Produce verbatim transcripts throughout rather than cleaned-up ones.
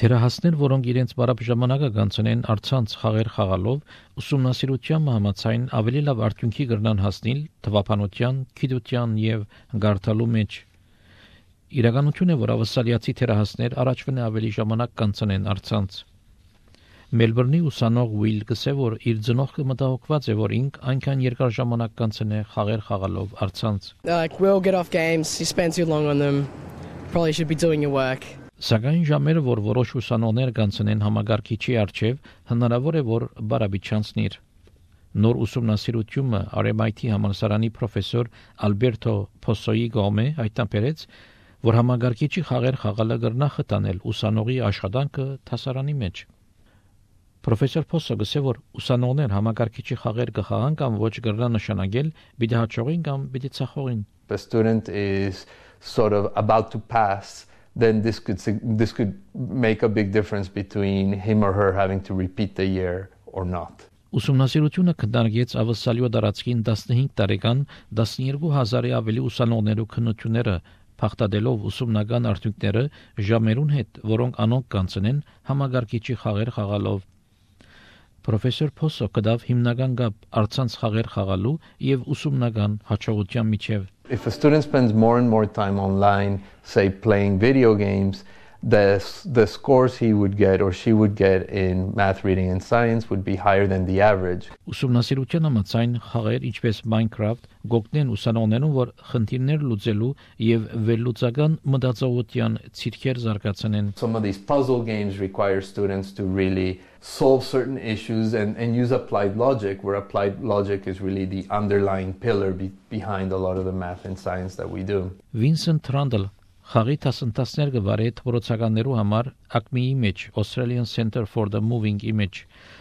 Թերահասներ, որոնք իրենց բարապ ժամանակը կանցնեն առցանց խաղեր խաղալով, ուսումնասիրության համաձայն ավելի լավ արդյունքի կրնան հասնել թվապանության, գիտության եւ գարթալու մեջ։ Իրականություն է, որ ավսալիացի թերահասներ առաջվան ավելի ժամանակ կանցնեն առցանց։ Մելբուրնի ուսանող Ուիլ գսե, որ իր ծնողքը մտահոգված է, որ ինք այնքան երկար ժամանակ կանցնե խաղեր խաղալով առցանց։ Like, we'll get off games, you spend too long on them, probably should be doing your work. Սակայն ժամերը, որ որոշ ուսանողներ կանցնեն համագարկիչի առջև, հնարավոր է, որ բարաբի չանցնիր։ Նոր ուսումնասիրությունը R M I T համալսարանի պրոֆեսոր Ալբերտո Փոսոյի գոմե հայտնաբերեց, որ համագարկիչի խաղեր խաղալը կրնա խտանել ուսանողի աշխատանքը դասարանի մեջ։ Պրոֆեսոր Փոսոը գսե, որ ուսանողներ համագարկիչի խաղեր կխաղան կամ ոչ կրնա նշանակել պիտի հաջողին կամ պիտի ցախողին։ The student is sort of about to pass, then this could this could make a big difference between him or her having to repeat the year or not. Ուսումնասիրությունը կդարգեց ավսալյո դարածքին տասնհինգ տարեկան տասնյոթ հազարի ավելի ուսանողներու քննությունները փախտadելով ուսումնական արդյունքները ժամերուն հետ, որոնք անոնք կանցնեն համագարկիչի խաղեր խաղալով։ Պրոֆեսոր Փոսո կդավ հիմնական գապ առցանց խաղեր խաղալու եւ ուսումնական հաջողության միջև։ If a student spends more and more time online, say playing video games, the the scores he would get or she would get in math, reading and science would be higher than the average. Ուսումնասիրության համաձայն խաղեր ինչպես Minecraft գոհտնեն ուսանողներուն, որ խնդիրներ լուծելու եւ վերլուծական մտածողության ցիրքեր զարգացնեն։ Some of these puzzle games require students to really solve certain issues and, and use applied logic, where applied logic is really the underlying pillar be, behind a lot of the math and science that we do. Vincent Randall խաղի տասնտասներ գվարե թվորոցականներու համար A C M I-ի մեջ Australian Center for the Moving Image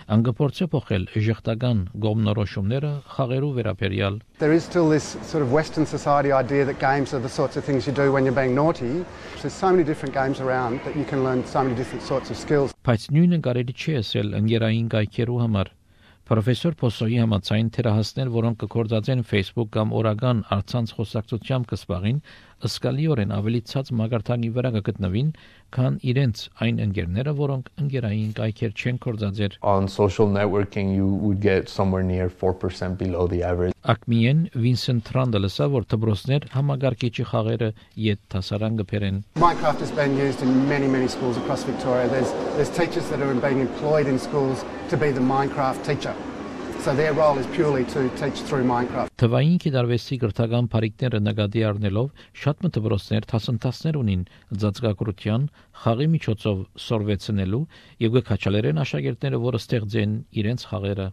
անգպորցե փոխել ժողտական գոմնորոշումները խաղերու վերաբերյալ։ There is still this sort of Western society idea that games are the sorts of things you do when you're being naughty. There's so many different games around that you can learn so many different sorts of skills. Բայց նույնը կարելի չի ասել ընկերային կայքերու համար։ Պրոֆեսոր Փոսոյի համաձայն թերահասներ, որոնք կգործածեն Facebook կամ օրական առցանց խոսակցությամբ կսպաղին, ըսկալիորեն ավելի ցած մագարտանի վրա կգտնվին, քան իրենց այն ընկերները, որոնք ընկերային կայքեր չեն գործածեր։ On social networking you would get somewhere near four percent below the average. A C M I-ն Vincent Randall ասա, որ դպրոցներ համագարկիչի խաղերը իդ դասարան կփերեն։ Minecraft has been used in many many schools across Victoria. There's there's teachers that are being employed in schools to be the Minecraft teacher. So their role is purely to teach through Minecraft. Թվային կիրառվեցի գրթական բարիկները նկատի առնելով շատ մտորոսներ տասնտասներ ունին ծածկագրության խաղի միջոցով սորվեցնելու եւ գկաչալերեն աշակերտները, որը ստեղծեն իրենց խաղերը։